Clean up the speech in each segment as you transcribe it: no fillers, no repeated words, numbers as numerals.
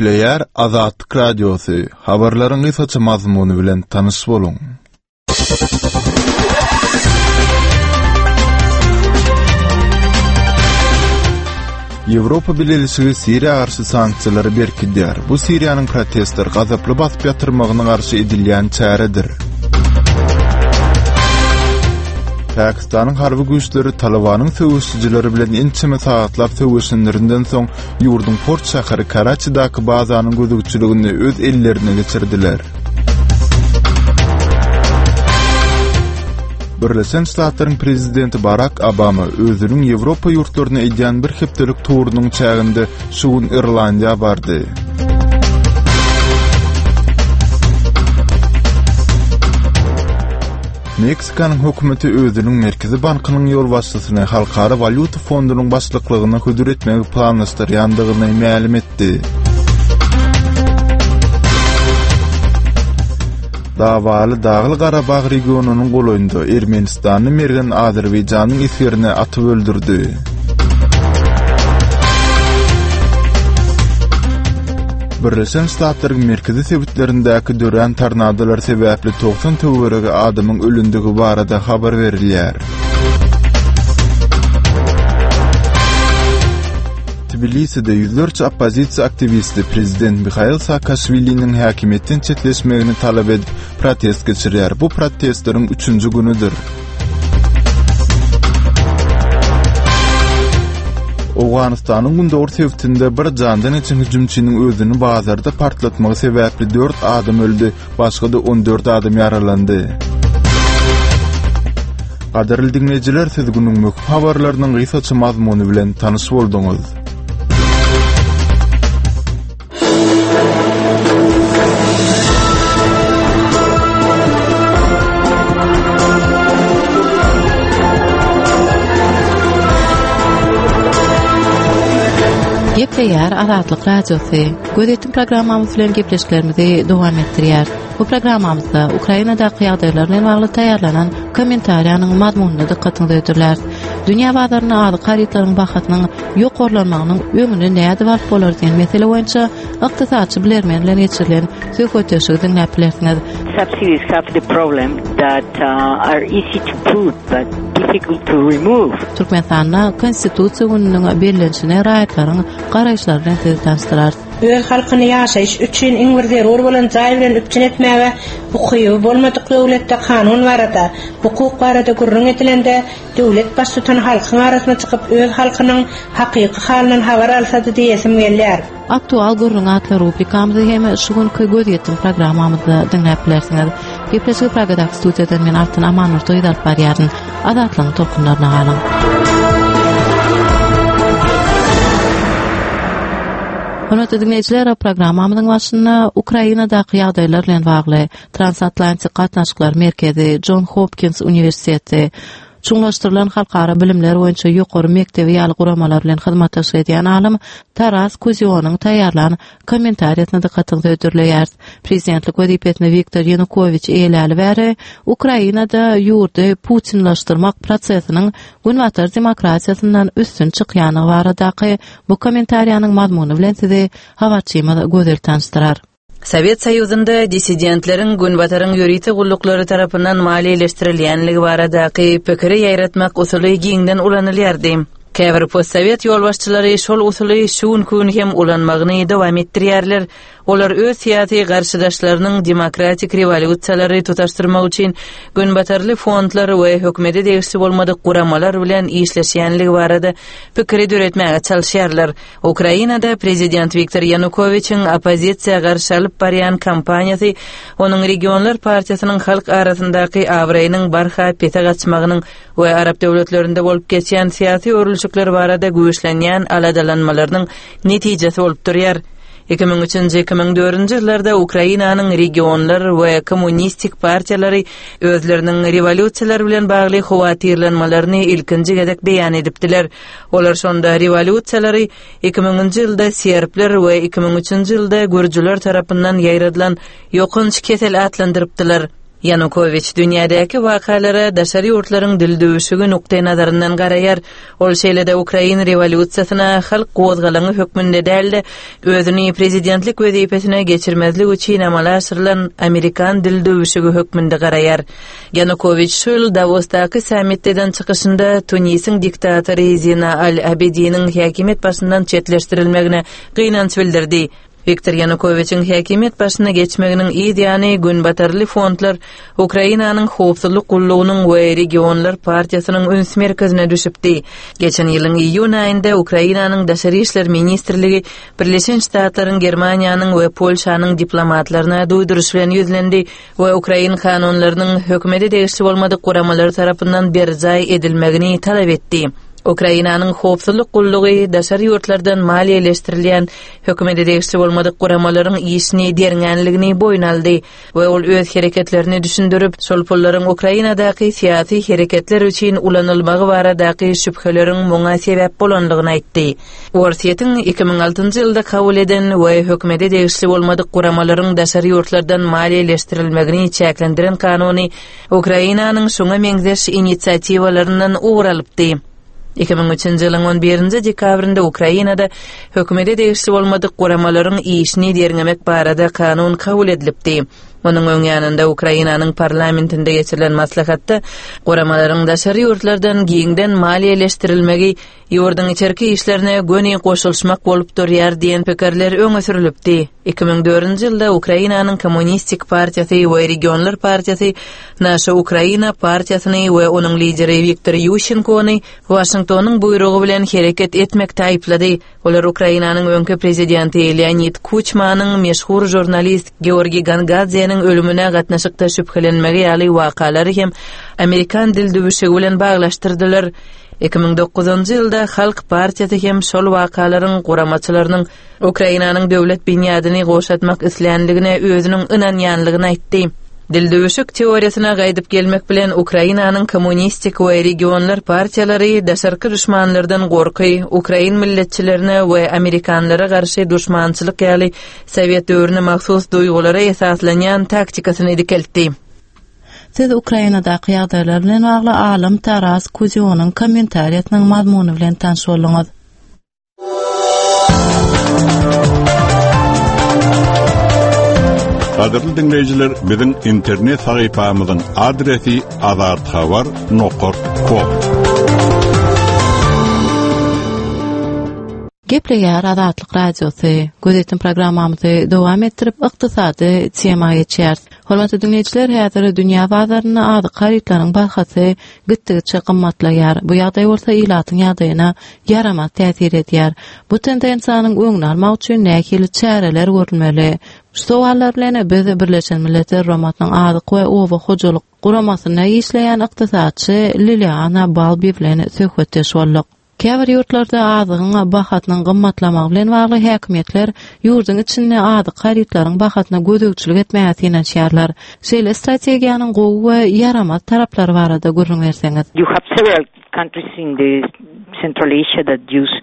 Gepleýär Azatlyk Radiosy, habarlaryň gysgaça mazmuny bilen tanyş boluň. Ýewropa Bileleşigi Siriýa garşy sanksiýalary berkidýär. Bu Siriýanyň protestleri gazaply basyp ýatyrmagyna garşy edilýän çäredir. Pakistanyň harby güýçleri Talybanyň söweşijileri bilen ençeme sagatlap söweşenlerinden soň ýurduň port şäheri Karaçidaky bazanyň gözegçiligini öz ellerine geçirdiler. Birleşen Ştatlaryň prezidenti Barak Obama özüniň Ýewropa ýurtlaryna edýän bir hepdelik turunyň çäginde şu gün Irlandiýa bardy. Meksikanyň hökümeti özüniň Merkezi bankynyň ýolbaşçysyny Halkara walýuta fondunyň başlyklygyna hödür etmegi planlaşdyrýandygyny mälim etdi. Dawaly Dagly-Garabag regionynyň golaýynda ermenistanly mergen Azerbaýjanyň esgerini atyp öldürdi. Birleşen Ştatlaryň merkezi sebitlerindäki dörän tornadolar sebäpli 90 töweregi adamyň ölendigi barada habar berilýär. Tbiliside ýüzlerçe oppozisiýa aktiwisti prezident Mihail Saakaşwiliniň häkimiýetden çetleşmegini talap edip, protest geçirýär. Bu protestleriň üçünji günüdir. Owganystanyň gündogar sebitinde bir jandan geçen hüjümçiniň özüni bazarda partlatmagy sebäpli dört adam öldi, başga-da 14 adam ýaralandy. Gadyrly diňleýjiler, siz günüň möhüm habarlarynyň gysgaça mazmuny bilen tanyş bolduňyz. Gepleýär Azatlyk Radiosy. Gözýetim programmamyz bilen gepleşiklerimizi dowam etdirýär. Bu programmamyzda Ukrainadaky ýagdaýlar bilen bagly taýýarlanan kommentariýanyň mazmunyna dykgatyňyzy hödürläris. Dünýä bazarynda azyk harytlaryň bahasynyň ýokarlanmagynyň öňüni nädip alyp bolar diýen mesele boýunça ykdysatçy bilermen bilen geçirilen söhbetdeşligi diňläp bilersiňiz. Subsidies have the problem that uh, are easy to put but difficult to remove. Türkmenistanda Konstitusiýa gününiň bellenişine raýatlaryň garaýyşlary bilen sizi tanyşdyrarys. Öz halkyny ýaşaýyş üçin iň bir zerur bolan jaý bilen üpjün etmäge ukyby bolmadyk döwletde kanun barada, hukuk barada gürrüň edilende, Döwlet baştutany halkyň arasyna çykyp öz halkynyň hakyky halyndan habar alsady diýesim gelýär. Aktual gürrüň atly rubrikamyzy hem şu günki Gözýetim programmamyzda diňläp bilersiňiz. Gepleşigi Pragadaky studiýadan men Altyn Amanmurdy gyz alyp barýaryn. Azatlygyň tolkunlaryna galyň. Hormatly diňleýjiler, programmamyzyň başynda Ukrainadaky ýagdaýlar bilen bagly Transatlantik gatnaşyklar merkezi, Jon Hopkins uniwersiteti, Çuňlaşdyrylan halkara bilimler boýunça ýokary mekdebi ýaly guramalar bilen hyzmatdaşlyk edýän alym Taras Kuzionyň taýýarlan kommentariýasyna dykgatyňyzy hödürleýäris. Prezidentlik wezipesini Wiktor Ýanukowiç eýeläli bäri Ukrainada ýurdy putinlaşdyrmak prosesiniň Günbatar demokratiýasyndan üstün çykýandygy baradaky bu kommentariýanyň mazmuny bilen sizi habarçymyz Gözel tanyşdyrar. Sowet Soýuzynda dissidentleriň Günbataryň ýörite gulluklary tarapyndan maliýeleşdirilýänligi baradaky pikiri ýaýratmak usuly giňden ulanylýardy. Käbir postsowet ýolbaşçylary şol usuly şu günki gün hem ulanmagyny dowam etdirýärler. Olar öz syýasy garşydaşlarynyň demokratik rewolýusiýalary tutaşdyrmak üçin günbatarly fondlar we hökümete degişli bolmadyk guramalar bilen işleşýänligi barada pikiri döretmäge çalyşýarlar. Ukrainada prezident Wiktor Ýanukowiçiň oppozisiýa garşy alyp barýan kampaniýasy onuň Regionlar partiýasynyň halk arasyndaky abraýynyň barha pese gaçmagynyň we arap döwletlerinde bolup geçýän syýasy öwrülişikler barada güýçlenýän aladalanmalarynyň netijesi bolup durýar. 2003-nji, 2004-nji ýyllarda Ukrainanyň Regionlar we Kommunistik partiýalary özleriniň rewolýusiýalar bilen bagly howatyrlanmalaryny ilkinji gezek beýan edipdiler. Olar şonda rewolýusiýalary 2000-nji ýylda serbler we 2003-nji ýylda gürjüler tarapyndan ýaýradylan ýokanç kesel atlandyrypdylar. Ýanukowiç dünýädäki wakalara daşary ýurtlaryň dildüwşügi nukdaýnazaryndan garaýar. Ol şeýle-de ukrain rewolýusiýasyna halk gozgalaňy hökmünde däl-de, özüni prezidentlik wezipesine geçirmezlik üçin amala aşyrylan amerikan dildüwşügi hökmünde garaýar. Ýanukowiç şu ýyl Dawosdaky sammitde eden çykyşynda Tunisiň diktatory Zina al-Abidiniň häkimiýet başyndan çetleşdirilmegine gynanç bildirdi. Wiktor Ýanukowiçiň häkimiýet başyna geçmeginiň yz ýany günbatarly fondlar Ukrainanyň howpsuzlyk gullugynyň we Regionlar partiýasynyň üns merkezine düşüpdi. Geçen ýylyň iýun aýynda Ukrainanyň Daşary işler ministrligi Birleşen Ştatlaryň, Germaniýanyň we Polşanyň diplomatlaryna duýduryş bilen ýüzlendi we ukrain kanunlarynyň hökümete degişli bolmadyk guramalar tarapyndan berjaý edilmegini talap etdi. Ukrainanyň howpsuzlyk gullugy daşary ýurtlardan maliýeleşdirilýän hökümete degişli bolmadyk guramalaryň işini derňänligini boýun aldy we ol öz hereketlerini düşündirip, şol pullaryň Ukrainadaky syýasy hereketler üçin ulanylmagy baradaky şübheleriň muňa sebäp bolandygyny aýtdy. Orsýetiň 2006-njy ýylda kabul eden we hökümete degişli bolmadyk guramalaryň daşary ýurtlardan maliýeleşdirilmegini çäklendiren kanuny Ukrainanyň şuňa meňzeş inisiatiwalaryndan ugur alypdy. 2003-nji ýylyň on birinji dekabrynda Ukrainada hökümete degişli bolmadyk guramalaryň işini derňemek barada kanun kabul edilipdi. Munuň öň ýanynda Ukrainanyň parlamentinde geçirilen maslahatda guramalaryň daşary ýurtlardan giňden maliýeleşdirilmegi Ýurduň içerki işlerine göni goşulyşmak bolup durýar diýen pikirler öňe sürlüpdi. 2004-nji ýylda Ukrainanyň Kommunistik partiýasy we Regionlar partiýasy Naşa Ukraina partiýasyny we onuň lideri Wiktor Ýuşenkony Waşingtonyň buýrugy bilen hereket etmekde aýyplady. Olar Ukrainanyň öňki prezidenti Leonid Kuçmanyň meşhur žurnalist Georgiý Gongadzeniň ölümine gatnaşykda şübhelenmegi ýaly wakalary hem amerikan dildüwüşigi bilen baglaşdyrdylar. 2009-njy ýylda Halk partiýasy hem şol wakalaryň guramaçylarynyň Ukrainanyň döwlet binýadyny gowşatmak isländigine özüniň ynanýanlygyny aýtdy. Dildüwüşük teoriýasyna gaýdyp gelmek bilen Ukrainanyň Kommunistik we Regionlar partiýalary daşarky duşmanlardan gorky, ukrain milletçilerine we amerikanlara garşy duşmançylyk ýaly sowet döwrüne mahsus duýgulara esaslanýan taktikasyny dikeltdi. Siz Ukrainadaky ýagdaýlar bilen bagly alym Taras Kuzionyň kommentariýasynyň mazmuny bilen tanyş bolduňyz. Gadyrly diňleýjiler, biziň internet sahypamyzyň adresi azathabar nokat kom. Gepleýär Azatlyk Radiosy. Gözetim programmamyzy dowam etdirip, ykdysady tema geçýäris. Hormatly diňleýjiler, häzir dünýä bazarynda azyk harytlaryň bahasy gitdigiçe gymmatlaýar. Bu ýagdaý bolsa ilatyň ýagdaýyna ýaramaz täsir edýär. Bu tendensiýanyň öňüni almak üçin nähili çäreler görülmeli? Şu sowallar bilen biz Birleşen Milletler Guramasynyň Azyk we oba hojalyk guramasynda işleýän ykdysatçy Liliana Balbi bilen söhbetdeş bolduk. Käbir ýurtlarda azygyň bahasynyň gymmatlamagy bilen bagly häkimiýetler ýurduň içinde azyk harytlaryň bahasyna gözegçilik etmäge synanyşýarlar. Şeýle strategiýanyň gowy we ýaramaz taraplary barada gürrüň berseňiz. You have several countries in the Central Asia that use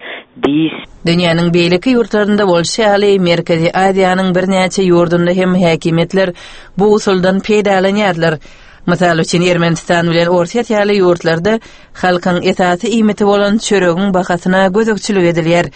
this. Dünýäniň beýleki ýurtlarynda bolşy ýaly, Merkezi Aziýanyň birnäçe ýurdunda hem häkimiýetler bu usuldan peýdalanýarlar. Mysal üçin, Ermenistan bilen Orsýet ýaly ýurtlarda Halkyň esasy iýmiti bolan çöregiň bahasyna gözegçilik edilýär.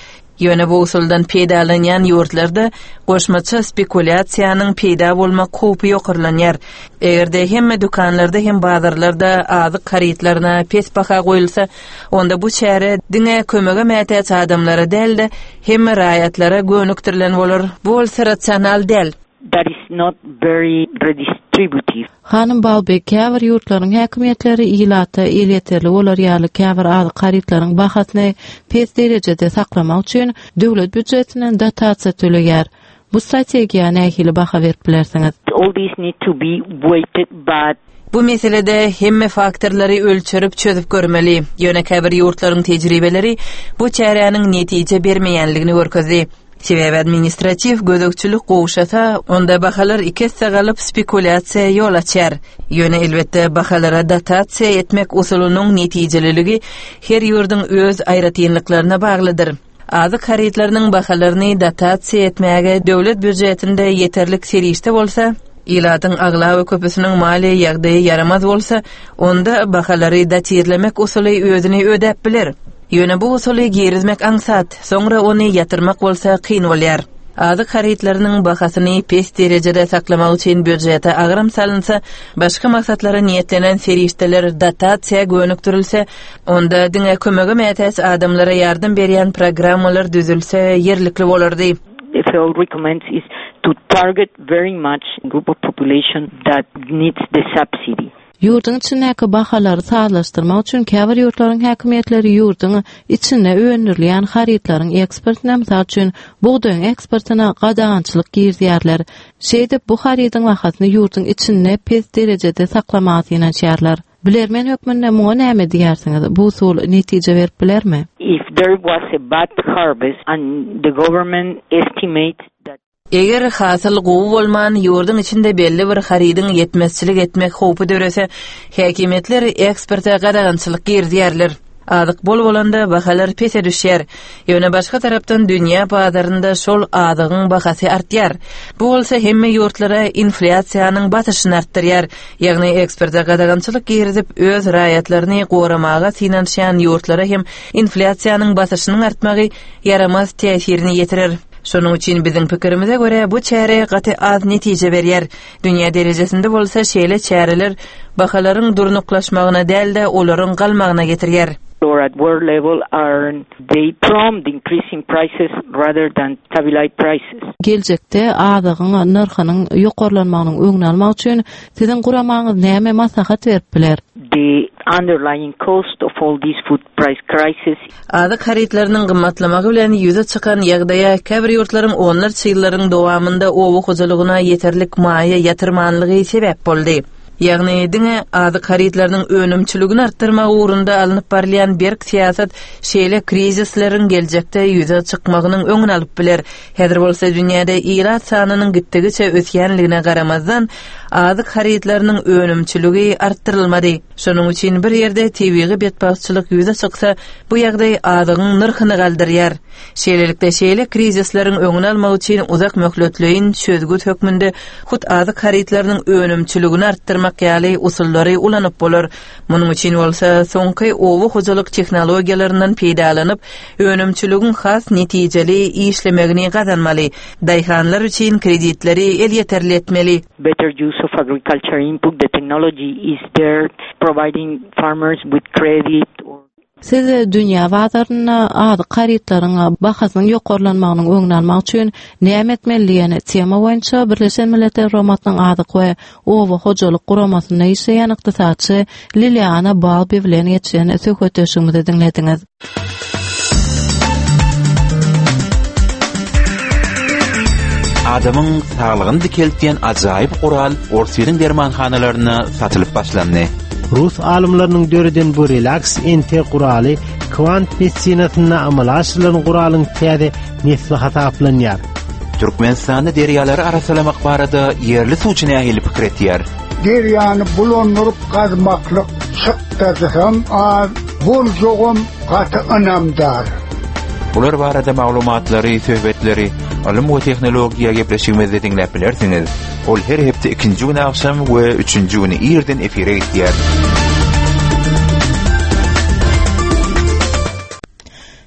Ýöne bu usuldan peýdalanýan ýurtlarda goşmaça spekulýasiýanyň peýda bolmak howpy ýokarlanýar. Eger-de hemme dükanlarda hem bazarlarda azyk harytlaryna pes baha goýulsa, onda bu çäre diňe kömege mätäç adamlara däl-de, hemme raýatlara gönükdirilen bolar. Bu bolsa rasional däl. That is not very redistributive. Hanym Balbi, käbir ýurtlaryň häkimiýetleri ilata elýeterli bolar ýaly käbir azyk harytlaryň bahasyny pes derejede saklamak üçin döwlet býujetinden dotasiýa töleýär. Bu strategiýa nähili baha berip bilersiňiz? All these need to be weighted but. Bu meselede hemme faktorlary ölçerip çözüp görmeli. Ýöne käbir ýurtlaryň tejribeleri bu çäräniň netije bermeýänligini görkezdi. Sebäbi administratiw gözegçilik gowşasa, onda bahalar iki esse galyp, spekulýasiýa ýol açýar. Ýöne, elbetde, bahalara dotasiýa etmek usulynyň netijeliligi her ýurduň öz aýratynlyklaryna baglydyr. Azyk harytlarynyň bahalaryny dotasiýa etmäge döwlet býujetinde ýeterlik serişde bolsa, Ilatyň aglaba köpüsiniň maliýe ýagdaýy ýaramaz bolsa, onda bahalary dotirlemek usuly özüni ödäp biler. Ýöne bu usuly girizmek aňsat, soňra ony ýatyrmak bolsa kyn bolýar. Azyk harytlarynyň bahasyny pes derejede saklamak üçin býujete agram salynsa, başga maksatlara niýetlenen serişdeler dotasiýa gönükdirilse, onda diňe kömege mätäç adamlara ýardam berýän programmalar düzülse ýerlikli bolardy. FAO recommends is to target very much group of population that needs the subsidy. Ýurduň içindäki bahalary sazlaşdyrmak üçin käbir ýurtlaryň häkimiýetleri ýurduň içinde öndürilýän harytlaryň eksportyna, mysal üçin, bugdaýyň eksportyna gadagançylyk girizýärler. Şeýdip, bu harydyň bahasyny ýurduň içinde pes derejede saklamaga synanyşýarlar. Bilermen hökmünde muňa näme diýersiňiz? Bu usul netije berip bilermi? If there was a bad harvest and the government estimates that. Eger hasyl gowy bolman, ýurduň içinde belli bir harydyň ýetmezçilik etmek howpy dörese, häkimiýetler eksporta gadagançylyk girizýärler. Azyk bol bolanda, bahalar pese düşýär. Ýöne başga tarapdan dünýä bazarynda şol azygyň bahasy artýar. Bu bolsa hemme ýurtlara inflýasiýanyň basyşyny artdyrýar. Ýagny eksporta gadagançylyk girizip, öz raýatlaryny goramaga synanyşýan ýurtlara hem inflýasiýanyň basyşynyň artmagy ýaramaz täsirini ýetirer. Şonuň üçin biziň pikirimize görä, bu çäre gaty az netije berýär. Dünýä derejesinde bolsa şeýle çäreler bahalaryň durnuklaşmagyna däl-de, olaryň galmagyna getirýär. Or at world level are they prompt increasing prices rather than stabilize prices. Geljekde azygyň nyrhynyň ýokarlanmagynyň öňüni almak üçin siziň guramaňyz näme maslahat berip biler? The underlying cost of all these food price crisis. Azyk harytlarynyň gymmatlamagy bilen ýüze çykan ýagdaýa käbir ýurtlaryň onlarça ýyllaryň dowamynda oba hojalygyna ýeterlik maýa ýatyrmanlygy sebäp boldy. Ýagny diňe azyk harytlarynyň önümçiligini artdyrmak ugrunda alnyp barylýan berk syýasat şeýle krizisleriň geljekde ýüze çykmagynyň öňüni alyp biler. Häzir bolsa dünýäde ilat sanynyň gitdigiçe ösýänligine garamazdan, azyk harytlarynyň önümçiligi artdyrylmady. Şonuň üçin bir ýerde tebigy betbagtçylyk ýüze çyksa, bu ýagdaý azygyň nyrhyny galdyrýar. Şeýlelikde, şeýle krizisleriň öňüni almak üçin uzak möhletleýin çözgüt hökmünde hut azyk harytlarynyň önümçiligini artdyrmak ýaly usullary ulanyp bolar. Munuň üçin bolsa soňky oba hojalyk tehnologiýalaryndan peýdalanyp, önümçiligiň has netijeli işlemegini gazanmaly, daýhanlar üçin kreditleri elýeterli etmeli. Better use of agriculture input, the technology is there, providing farmers with credit or. Siz dünýä bazarynda azyk harytlaryň bahasynyň ýokarlanmagynyň öňüni almak üçin näme etmeli diýen tema boýunça Birleşen Milletler Guramasynyň Azyk we oba hojalyk guramasynda işleýän ykdysatçy Liliana Balbi bilen geçiren söhbetdeşligimizi diňlediňiz. Adamyň saglygyny dikeltýän ajaýyp gural Orsýetiň dermanhanalarynda satylyp başlandy. Rus alymlarynyň döreden bu relaks NT guraly kwant medisinasynda amala aşyrylan guralyň täze nesli hasaplanýar. Türkmenistanda derýalary arassalamak barada ýerli suwçy nähili pikir etýär? Derýany bulandyryp gazmaklyk çykdajysam az, boljagam gaty ynamdar. Bular barada maglumatlary, söhbetleri Ylym we tehnologiýa gepleşigimizde diňläp bilersiňiz. Ol her hepde ikinji güni agşam we üçünji güni irden efire gitýär.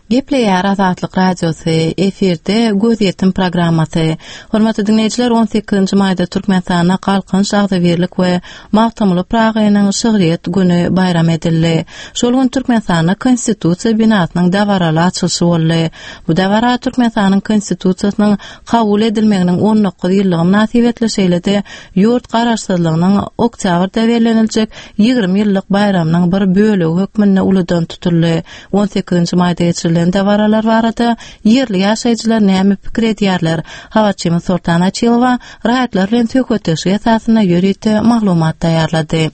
Gepleýär Azatlyk Radiosy, efirde Gözýetim programmasy. Hormatly diňleýjiler, 18-nji maýda Türkmenistanda Galkynyş, agzybirlik we Magtymguly Pyragynyň şygryýet güni baýram edildi. Şol gün Türkmenistanda Konstitusiýa binasynyň dabaraly açylyşy boldy. Bu dabara Türkmenistanyň Konstitusiýasynyň kabul edilmeginiň 19 ýyllygy mynasybetli, şeýle-de ýurt Garaşsyzlygynyň oktýabrda belleniljek 20 ýyllyk baýramynyň bir bölegi hökmünde uludan tutuldy. 18-nji maýda geçirilen dabaralar barada ýerli ýaşaýjylar näme pikir edýärler? Habarçymyz Soltan Açylowa raýatlar bilen söhbetdeşlik esasynda ýörite maglumat taýýarlady.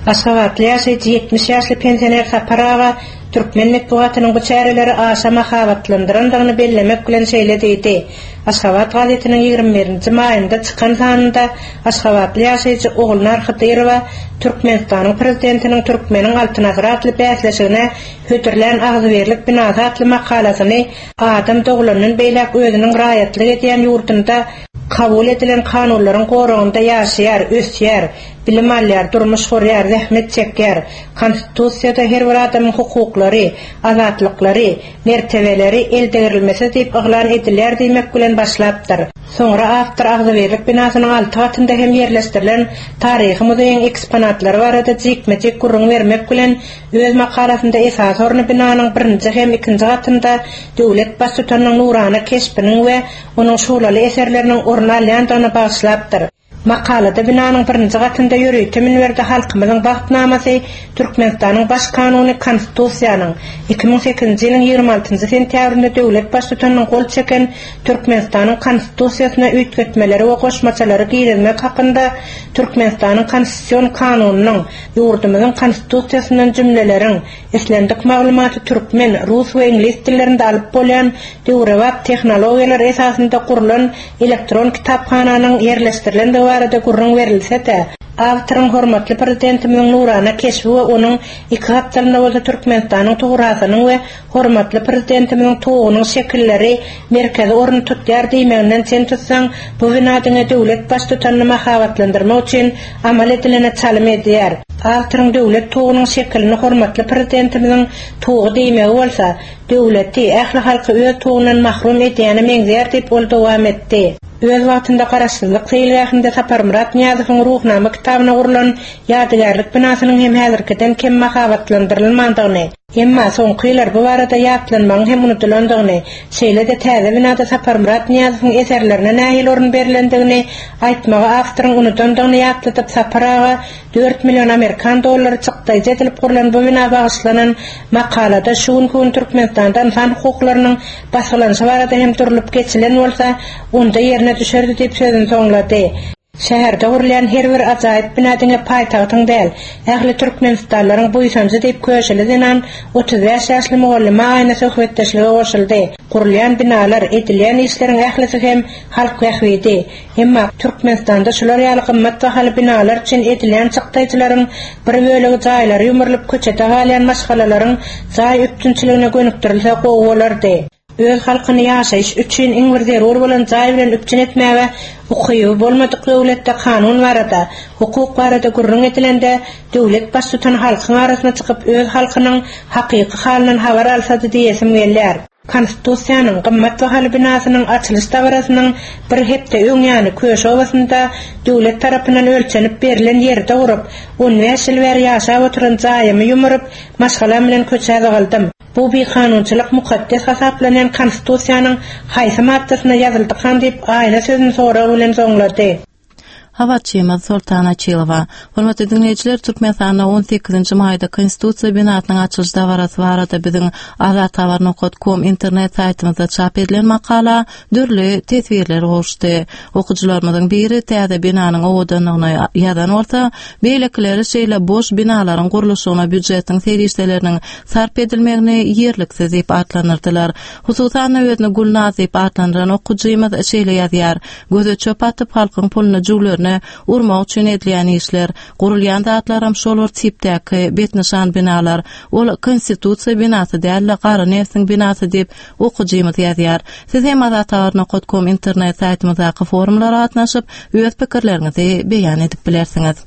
Aşgabatly ýaşaýjy 70 ýaşly pensioner Sapar aga türkmen metbugatynyň bu çäreleri aşa mahabatlandyrandygyny bellemek bilen şeýle diýdi, Aşgabat gazetiniň 21-nji maýynda çykan sanynda aşgabatly ýaşaýjy Ogulnar Hydyrowa Türkmenistanyň Prezidentiniň Türkmeniň Altyn asyry atly bäsleşigine hödürlän Agzybirlik binasy atly makalasyny adam doglandan beýläk özüniň raýatlyk edýän ýurdunda. Kabul edilen kanunlaryň goragynda ýaşaýar, ösýär, bilim alýar, durmuş gurýar, zähmet çekýär. Konstitusiýada her bir adamyň hukuklary, azatlyklary, mertebeleri eldegrilmesiz diýip yglan edilýär diýmek bilen başlapdyr. Soňra awtor Agzybirlik binasynyň alty gatynda hem ýerleşdirilen taryhy muzeýiň eksponatlary barada jikme-jik gürrüň bermek bilen öz makalasynda esasy orny binanyň birinji hem ikinji gatynda döwlet Baştutanynyň nurana keşbiniň we onuň şuglaly eserleriniň orun alýandygyna bagyşlapdyr. Makalada binanyň birinji gatynda ýörite münberde halkymyzyň bagtnamasy Türkmenistanyň Baş Kanuny Konstitusiýanyň, 2008-nji ýylyň 26-njy sentýabrynda döwlet Baştutanynyň gol çeken Türkmenistanyň Konstitusiýasyna üýtgetmeleri we goşmaçalary girizmek hakynda Türkmenistanyň Konstitusion Kanunynyň, ýurdumyzyň Konstitusiýasyndan jümleleriň, Islendik maglumaty türkmen, rus we iňlis dillerinde alyp bolýan döwrebap tehnologiýalar esasynda gurlan elektron kitaphananyň ýerleşdirilendigi barada gürrüň berilse-de, awtoryň hormatly Prezidentimiziň nurana keşbi we onuň iki gapdalynda bolsa Türkmenistanyň tugrasynyň we hormatly Prezidentimiziň tugunyň şekilleri merkezi orun tutýar diýmeginden çen tutsaň, bu bina diňe döwlet Baştutanyny mahabatlandyrmak üçin amal edilene çalym edýär. Awtoryň döwlet tugunyň şekilini hormatly Prezidentimiziň tugy diýmegi bolsa, döwleti, ähli halky öz tugundan mahrum edýäne meňzeýär diýip, ol dowam etdi. Öz wagtynda Garaşsyzlyk seýilgähinde Saparmyrat Nyýazowyň Ruhnama kitabyna gurlan ýadygärlik binasynyň hem häzirkiden kem mahabatlandyrylmandygyny, Emma soňky ýyllar bu barada ýatlanmagyň hem unudylandygyny, şeýle-de täze binada Saparmyrat Nyýazowyň eserlerine nähili orun berlendigini aýtmagy awtoryň unudandygyny ýatladyp, Sapar aga dört million amerikan dollary çykdaýjy edilip gurlan bu bina bagyşlanan makalada şu günki gün Türkmenistanda ynsan hukuklarynyň basgylanyşy barada hem durlup geçilen bolsa, onda ýerine düşerdi diýip sözüni soňlady. Şäherde gurulýan her bir ajaýyp bina diňe paýtagtyň däl, ähli türkmenistanlylaryň buýsanjy diýip köşüli zenan 35 ýaşly mugallyma Aýna söhbetdeşlige goşuldy. Gurulýan binalar, edilýän işleriň ählisi hem halk bähbidi. Emma Türkmenistanda şular ýaly gymmat bahaly binalar üçin edilýän çykdaýjylaryň bir bölegi jaýlary ýumrulyp köçede galýan maşgalalaryň jaý üpjünçiligine gönükdirilse gowy bolardy. Öz halkyny ýaşaýyş üçin iň bir zerur bolan jaý bilen üpjün etmäge ukyby bolmadyk döwletde kanun barada, hukuk barada gürrüň edilende, döwlet baştutany halkyň arasyna çykyp öz halkynyň hakyky halyndan habar alsady diýesim gelýär. Konstitusiýanyň gymmat bahaly binasynyň açylyş dabarasynyň bir hepde öň ýany Köşi obasynda döwlet tarapyndan ölçenip berlen ýerde gurup, on bäş ýyl bäri ýaşap oturan jaýymy ýumuryp, maşgalam bilen köçä zygyldym. Bu bikanunçylyk mukaddes hasaplanýan Konstitusiýanyň haýsy maddasynda ýazyldykan diýip, Aýna sözüni sorag bilen soňlady. Habarçymyz Soltan Açylowa. Hormatly diňleýjiler, Türkmenistanda on sekizinji maýda Konstitusiýa binasynyň açylyş dabarasy barada biziň azathabar nokat kom internet saýtymyzda çap edilen makala dürli teswirler gowuşdy. Okyjylarymyzyň biri täze binanyň owadanlygyny ýazan bolsa, beýlekileri şeýle boş binalaryň gurluşygyna býujetiň serişdeleriniň sarp edilmegini ýerliksiz diýip atlandyrdylar. Hususan-da, özüni Gülnaz diýip atlandyran okyjymyz şeýle ýazýar, Göze çöp atyp, halkyň puluny jüwlerine urmak üçin edilýän işler. Gurulýan zatlaram şol bir tipdäki betnyşan binalar. Ol Konstitusiýa binasy däl-de, gara nebsiň binasy diýip, Okyjymyz ýazýar. Siz hem azathabar nokat kom internet saýtymyzdaky forumlara gatnaşyp, öz pikirleriňizi beýan edip bilersiňiz.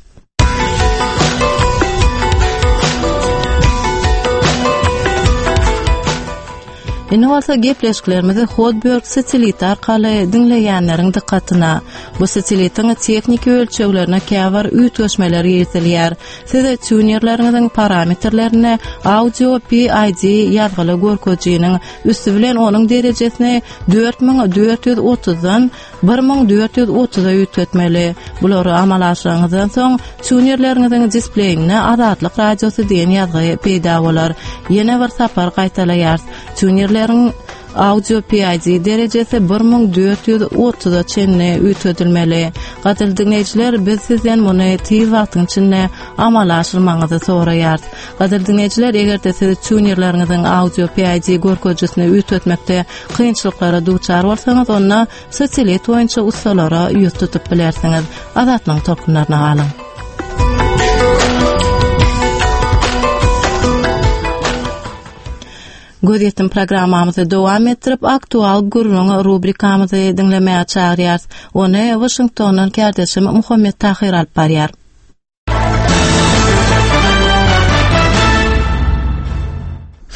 Indi bolsa gepleşiklerimizi Hotbird sateliti arkaly diňleýänleriň dykgatyna. Bu satelitiň tehniki ölçeglerine käbir üýtgeşmeler girizilýär. Siz tunerleriňiziň parametrlerinde audio PID ýazgyly görkezijiniň üsti bilen onuň derejesini 4430-dan 1430-a üýtgetmeli. Bulary amala aşyranyňyzdan soň, tunerleriňiziň displeýinde Azatlyk Radiosy diýen ýazgy peýda bolar. Ýene bir sapar gaýtalaýarys. Tunerleriň Audio PID derejesi 1430-a çenli üýtgedilmeli. Gadyrly diňleýjiler, biz sizden muny tiz wagtyň içinde amala aşyrmagyňyzy soraýarys. Gadyrly diňleýjiler, eger-de siz tunerleriňiziň audio PID görkezijisini üýtgetmekde kynçylyklara duçar bolsaňyz, onda satelit boýunça ussalara ýüz tutup bilersiňiz. Azatlygyň tolkunlaryna galyň. Gözýetim programmamyzy dowam etdirip, Aktual gürrüň rubrikamyzy diňlemäge çagyrýarys. Ony Waşingtondan kärdeşim Muhammet Tahyr alyp barýar.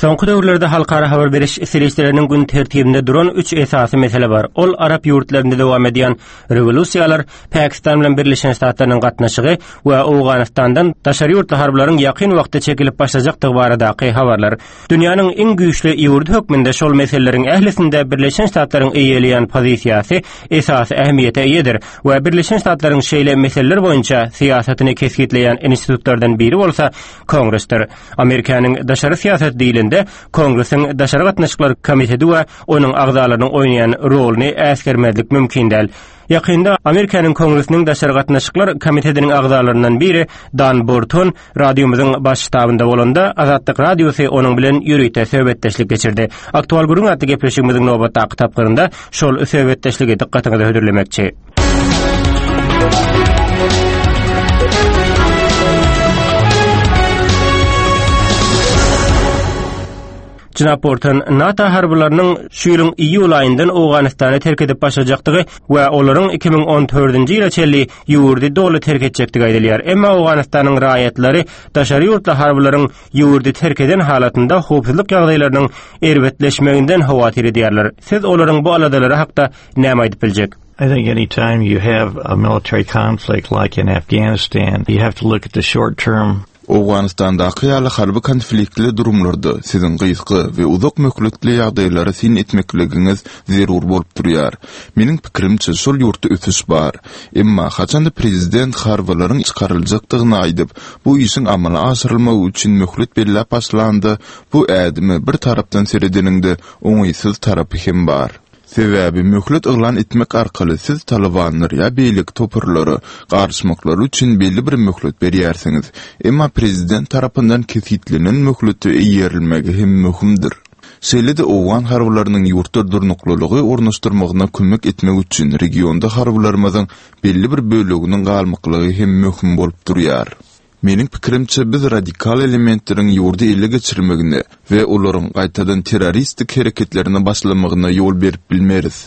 Soňky döwürlerde halkara habar beriş serişdeleriniň gün tertibinde duran üç esasy mesele bar. Ol arap ýurtlarynda dowam edýän rewolýusiýalar, Pakistan bilen Birleşen Ştatlarynyň gatnaşygy we Owganystandan daşary ýurtly harbylaryň ýakyn wagtda çekilip başlajakdygy baradaky habarlar. Dünýäniň iň güýçli ýurdy hökmünde şol meseleleriň ählisinde Birleşen Ştatlaryň eýeleýän pozisiýasy esasy ähmiýete eýedir we Birleşen Ştatlaryň şeýle meseleler boýunça syýasatyny kesgitleýän institutlardan biri bolsa Kongresdir. Amerikanyň daşary syýasaty diýlende, Kongresiň Daşary gatnaşyklar komiteti we onuň agzalarynyň oýnaýan roluny äsgermezlik mümkin däl. Ýakynda Amerikanyň Kongresiniň Daşary gatnaşyklar komitetiniň agzalaryndan biri Dan Borton radiomyzyň baş ştabynda bolanda, Azatlyk Radiosy onuň bilen ýörite söhbetdeşlik geçirdi. Aktual gürrüň atly gepleşigimiziň nobatdaky tapgyrynda şol söhbetdeşligi dykgatyňyza hödürlemekçi. Jenap Bolton, NATO harbylarynyň şu ýylyň iýul aýyndan Owganystany terk edip başlajakdygy we olaryň 2014-nji ýyla çenli ýurdy doly terk etjekdigi aýdylýar. Emma Owganystanyň raýatlary daşary ýurtly harbylaryň ýurdy terk eden halatynda howpsuzlyk ýagdaýlarynyň erbetleşmeginden howatyr edýärler. Siz olaryň bu aladalary hakda näme aýdyp biljek? I think any time you have a military conflict like in Afghanistan, you have to look at the short term Owganystandaky ýaly harby konfliktli durumlarda siziň gysga we uzak möhletli ýagdaýlara syn etmekligiňiz zerur bolup durýar. Meniň pikirimçe, şol ýurtda ösüş bar. Emma haçanda prezident harbylaryň çykaryljakdygyny aýdyp, bu işiň amala aşyrylmagy üçin möhlet belläp başlanda, bu ädime bir tarapdan seredeniňde oňaýsyz tarapy hem bar. Sebäbi möhlet yglan etmek arkaly siz talybanlar ýa beýleki toparlara garyşmaklary üçin belli bir möhlet berýärsiňiz. Emma prezident tarapyndan kesgitlenen möhlete eýerilmegi hem möhümdir. Şeýle-de owgan harbylarynyň ýurtda durnuklylygy ornaşdyrmagyna kömek etmek üçin regionda harbylarymyzyň belli bir böleginiň galmaklygy hem möhüm bolup durýar. Meniň pikirimçe, biz radikal elementleriň ýurdy ele geçirmegine we olaryň gaýtadan terroristik hereketlerine başlamagyna ýol berip bilmeris.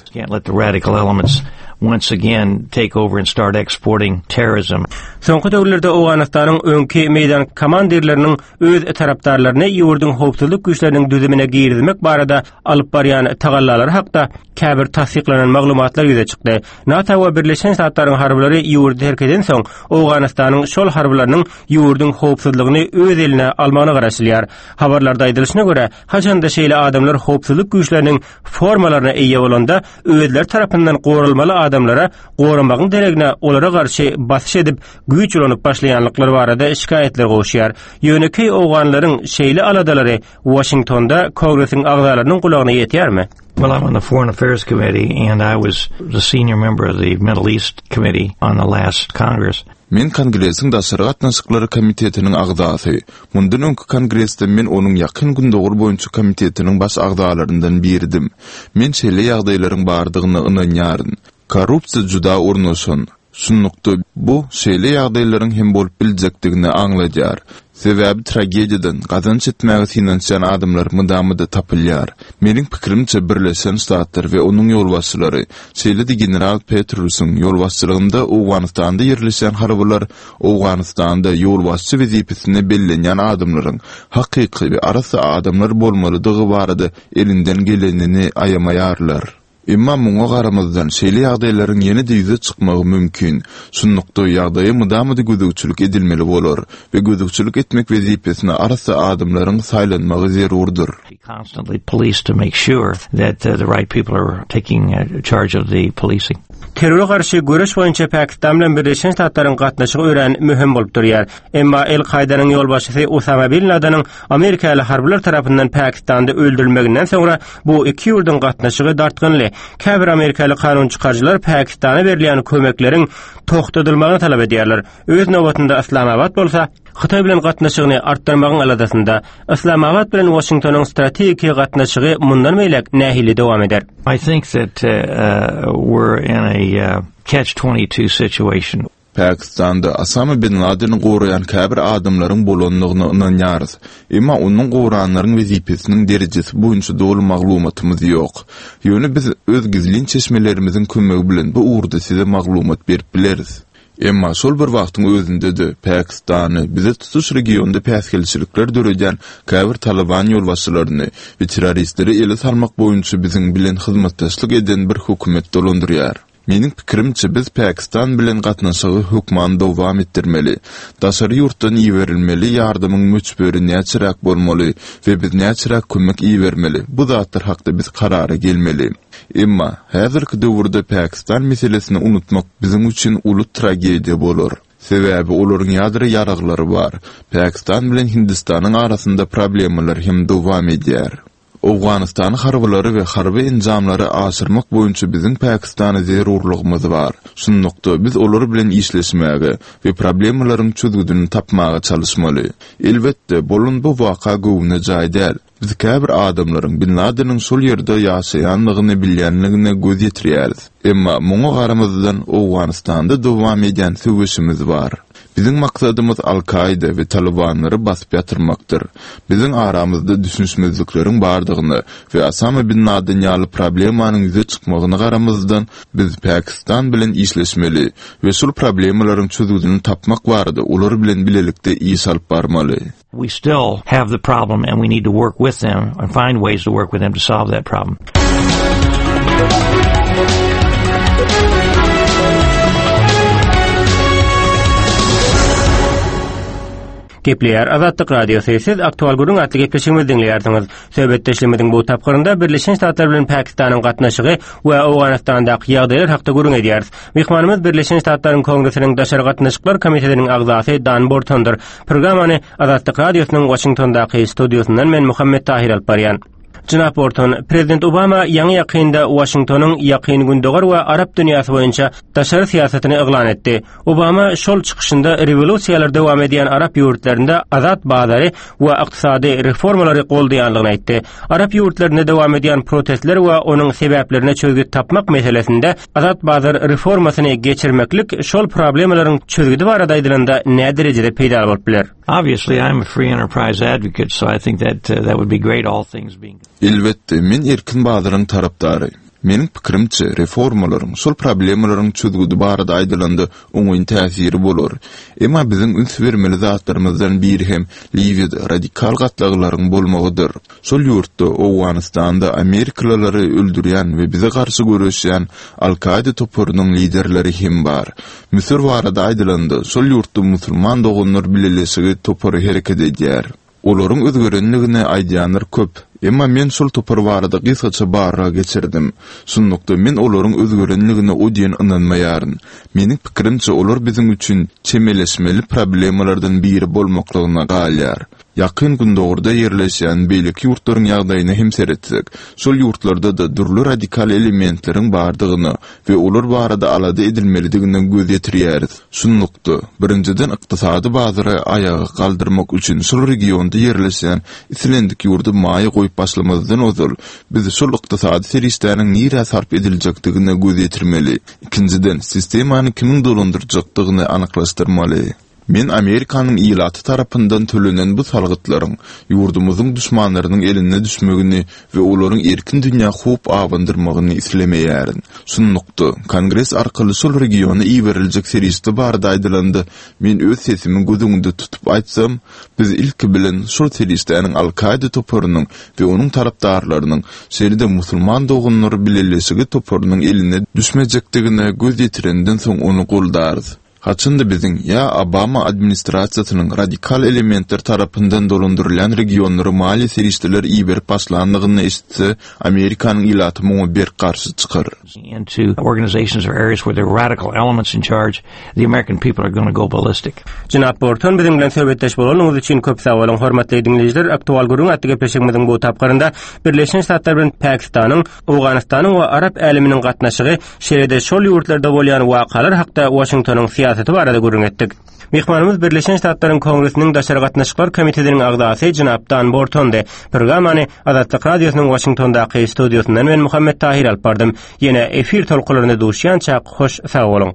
Soňky döwürlerde Owganystanyň öňki meýdan komandirleriniň öz tarapdarlaryny ýurduň howpsuzlyk güýçleriniň düzümine girizmek barada alyp barýan tagallalary hakda käbir tassyklanan maglumatlar ýüze çykdy. NATO we Birleşen Ştatlaryň harbylary ýurdy terk edensoň, Owganystanyň şol harbylarynyň ýurduň howpsuzlygyny öz eline almagyna garaşylýar. Habarlarda aýdylyşyna görä, haçanda şeýle adamlar howpsuzlyk güýçleriniň formalaryna eýe bolanda, özleri tarapyndan goralmaly adamlara goramagyň deregine olara garşy basyş edip, güýç ulanyp başlaýanlyklary barada şikaýatlar gowuşýar. Ýönekeý owganlaryň şeýle aladalary Waşingtonda Kongresiň agzalarynyň gulagyna ýetýärmi? Well, I'm on the Foreign Affairs Committee and I was the senior member of the Middle East Committee on the last Congress. Men Kongresiň Daşary gatnaşyklary komitetiniň agzasy. Mundan öňki Kongresde men onuň Ýakyn Gündogar boýunça komitetiniň baş agzalaryndan biridim. Men şeýle ýagdaýlaryň bardygyna ynanýaryn. Korrupsiýa juda ornaşan. Şunlukda, bu şeýle ýagdaýlaryň hem bolup biljekdigini aňladýar. Sebäbi tragediýadan gazanç etmäge synanyşýan adamlar mydama-da tapylýar. Meniň pikirimçe, Birleşen Ştatlar we onuň ýolbaşçylary, şeýle-de general Petrusyň ýolbaşçylygynda Owganystanda ýerleşýän harbylar Owganystanda ýolbaşçy wezipesine bellenýän adamlaryň hakyky we arassa adamlar bolmalydygy barada elinden gelenini aýamaýarlar. Emma muňa garamazdan, şeýle ýagdaýlaryň ýene-de ýüze çykmagy mümkin. Şunlukda, ýagdaýa mydama-da gözegçilik edilmeli bolar we gözegçilik etmek wezipesine arassa adamlaryň saýlanmagy zerurdyr. Terrora garşy göreş boýunça Pakistan bilen Birleşen Ştatlaryň gatnaşygy örän möhüm bolup durýar. Emma El-Kaýdanyň ýolbaşçysy Osama bin Ladeniň Amerikaly harbylar tarapyndan Pakistanda öldürilmeginden soňra bu iki ýurduň gatnaşygy dartgynly. Käbir amerikaly kanun çykaryjylar Pakistana berilýän kömekleriň togtadylmagyny talap edýärler. Öz nobatynda Yslamabat bolsa Hytaý bilen gatnaşygyny artdyrmagyň aladasynda. Yslamabat bilen Waşingtonyň strategiki gatnaşygy mundan beýläk nähili dowam eder? I think that uh, we're in a uh, catch-22 situation. Pakistanda Osama bin Ladeni goraýan käbir adamlaryň bolandygyna ynanýarys. Emma onuň goranlaryň wezipesiniň derejesi boýunça doly maglumatymyz ýok. Ýöne biz öz gizlin çeşmelerimiziň kömegi bilen bu ugurda size maglumat berip bileris. Emma şol bir wagtyň özünde-de Pakistany, bize tutuş regionda päsgelçilikler döredýän käbir Talyban ýolbaşçylaryny we terroristleri ele salmak boýunça biziň bilen hyzmatdaşlyk eden bir hökümet dolandyrýar. Meniň pikirimçe, biz Pakistan bilen gatnaşygy hökman dowam etdirmeli. Daşary ýurtdan iberilmeli ýardamyň möçberi näçeräk bolmaly we biz näçeräk kömek ibermeli, bu zatlar hakda biz karara gelmeli. Emma, häzirki döwürde Pakistan meselesini unutmak biziň üçin uly tragediýa bolar. Sebäbi olaryň ýadro ýaraglary bar. Pakistan bilen Hindistanyň arasynda problemalar hem dowam edýär. Owganystana harbylary we harby enjamlary aşyrmak boýunça biziň Pakistana zerurlygymyz bar. Şunlukda, biz olar bilen işleşmäge we problemalaryň çözgüdini tapmaga çalyşmaly. Elbetde, bolan bu waka göwne jaý däl. Biz käbir adamlaryň Bin Ladeniň şol ýerde ýaşaýanlygyny bilýänligine göz ýetirýäris. Emma muňa garamazdan, Owganystanda dowam edýän söweşimiz bar. Biziň maksadymyz Al-Kaida we Talybanlary basyp ýatyrmakdyr. Biziň aramyzda düşünişmezlikleriň bardygyna we Osama bin Laden ýaly problemanyň ýüze çykmagyna garamazdan, biz Pakistan bilen işleşmeli we şol problemalaryň çözgüdini tapmak barada olar bilen bilelikde iş alyp barmaly. We still have the problem and we need to work with them and find ways to work with them to solve that problem. Gepleýär Azatlyk Radiosy. Siz Aktual gürrüň atly gepleşigimizi diňleýärsiňiz. Söhbetdeşligimiziň bu tapgyrynda Birleşen Ştatlar bilen Pakistanyň gatnaşygy we Owganystandaky ýagdaýlar hakda gürrüň edýäris. Myhmanymyz Birleşen Ştatlaryň Kongresiniň Daşary gatnaşyklar komitetiniň agzasy Dan Bortondyr. Programmany Azatlyk Radiosynyň Waşingtondaky studiýasyndan men Muhammet Tahir alyp barýan. Jenap Borton, Prezident Obama ýaňy-ýakynda Waşingtonyň Ýakyn Gündogar we Arap dünýäsi boýunça daşary syýasatyny yglan etdi. Obama şol çykyşynda rewolýusiýalar dowam edýän arap ýurtlarynda azat bazary we ykdysady reformalary goldaýandygyny aýtdy. Arap ýurtlarynda dowam edýän protestler we onuň sebäplerine çözgüt tapmak meselesinde azat bazar reformasyny geçirmeklik şol problemalaryň çözgüdi barada aýdylanda näderejede peýdaly bolup biler? Obviously, I'm a free enterprise advocate, so I think that uh, that would be great all things being. Elbetde, men erkin bazaryň tarapdary. Meniň pikirimçe, reformalaryň şol problemalaryň çözgüdi barada aýdylanda oňyn täsiri bolar. Emma biziň üns bermeli zatlarymyzdan biri hem Liwiýada radikal gatlaglaryň bolmagydyr. Şol ýurtda, Owganystanda amerikalylary öldürýän we bize garşy göreşýän Al-Kaida toparynyň liderleri hem bar. Müsür barada aýdylanda, şol ýurtda Musulman doganlar bileleşigi topary hereket edýär. Olaryň özgerenligini aýdýanlar köp. Emma men şol topar barada gysgaça barlag geçirdim. Şunlukda, men olaryň özgerenligine o diýen ynanmaýaryn. Meniň pikirimçe, olar biziň üçin çemeleşmeli problemalardan biri bolmaklygyna galýar. Ýakyn Gündogarda ýerleşýän beýleki ýurtlaryň ýagdaýyna hem seretsek, şol ýurtlarda-da dürli radikal elementleriň bardygyna we olar barada alada edilmelidigine göz ýetirýäris. Şunlukda, birinjiden ykdysady bazary aýaga galdyrmak üçin şol regionda ýerleşýän islendik ýurda maýa goýup başlamazdan ozal, biz şol ykdysady serişdäniň nirä sarp ediljekdigine göz ýetirmeli. Ikinjiden, sistemany kimiň dolandyrjakdygyny anyklaşdyrmaly. Men Amerikanyň ilaty tarapyndan tölenen bu salgytlaryň ýurdumyzyň duşmanlarynyň eline düşmegini we olaryň erkin dünýä howp abandyrmagyny islemeýärin. Şunlukda, Kongres arkaly şol regiona iberiljek serişde barada aýdylanda, men öz sesimi göz öňünde tutup aýtsam, biz ilki bilen şol serişdäniň Al-Kaida toparynyň we onuň tarapdarlarynyň, şeýle-de Musulman doganlar bileleşigi toparynyň eline düşmejekdigine göz ýetirenden soň ony goldarys. Haçan-da biziň ýa Obama administrasiýasynyň radikal elementler tarapyndan dolandyrylýan regionlara maliýe serişdeler iberip başlandygyny eşitse, Amerikanyň ilaty muňa berk garşy çykar. into organizations or areas where there are radical elements in charge, the American people are going to go ballistic. Jenap Borton biziň bilen söhbetdeş bolanyňyz üçin köp sag boluň. Hormatly diňleýjiler, Aktual gürrüň atly gepleşigimiziň bu tapgyrynda Birleşen Ştatlar bilen Pakistanyň Owganystanyň we arap äleminiň gatnaşygy, şeýle-de şol ýurtlarda bolýan wakalar hakda Waşingtonyň syýasaty barada gürrüň etdik. Myhmanymyz Birleşen Ştatlaryň Kongresiniň Daşary gatnaşyklar komitetiniň agzasy jenap Dan Bortondy. Programmany Azatlyk Radiosynyň Waşingtondaky studiýasyndan men Muhammet Tahir alyp bardym. Ýene efir tolkunlarynda duşýançak hoş sag boluň.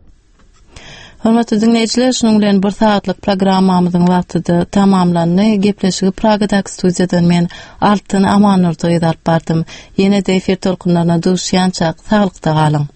Hormatly diňleýjiler, şunuň bilen bir sagatlyk programmamyzyň wagty-da tamamlandy. Gepleşigi Pragadaky studiýadan men Altyn Amannurdy gyzy alyp bardym. Ýene-de efir tolkunlaryna duşýançak, saglykda galyň.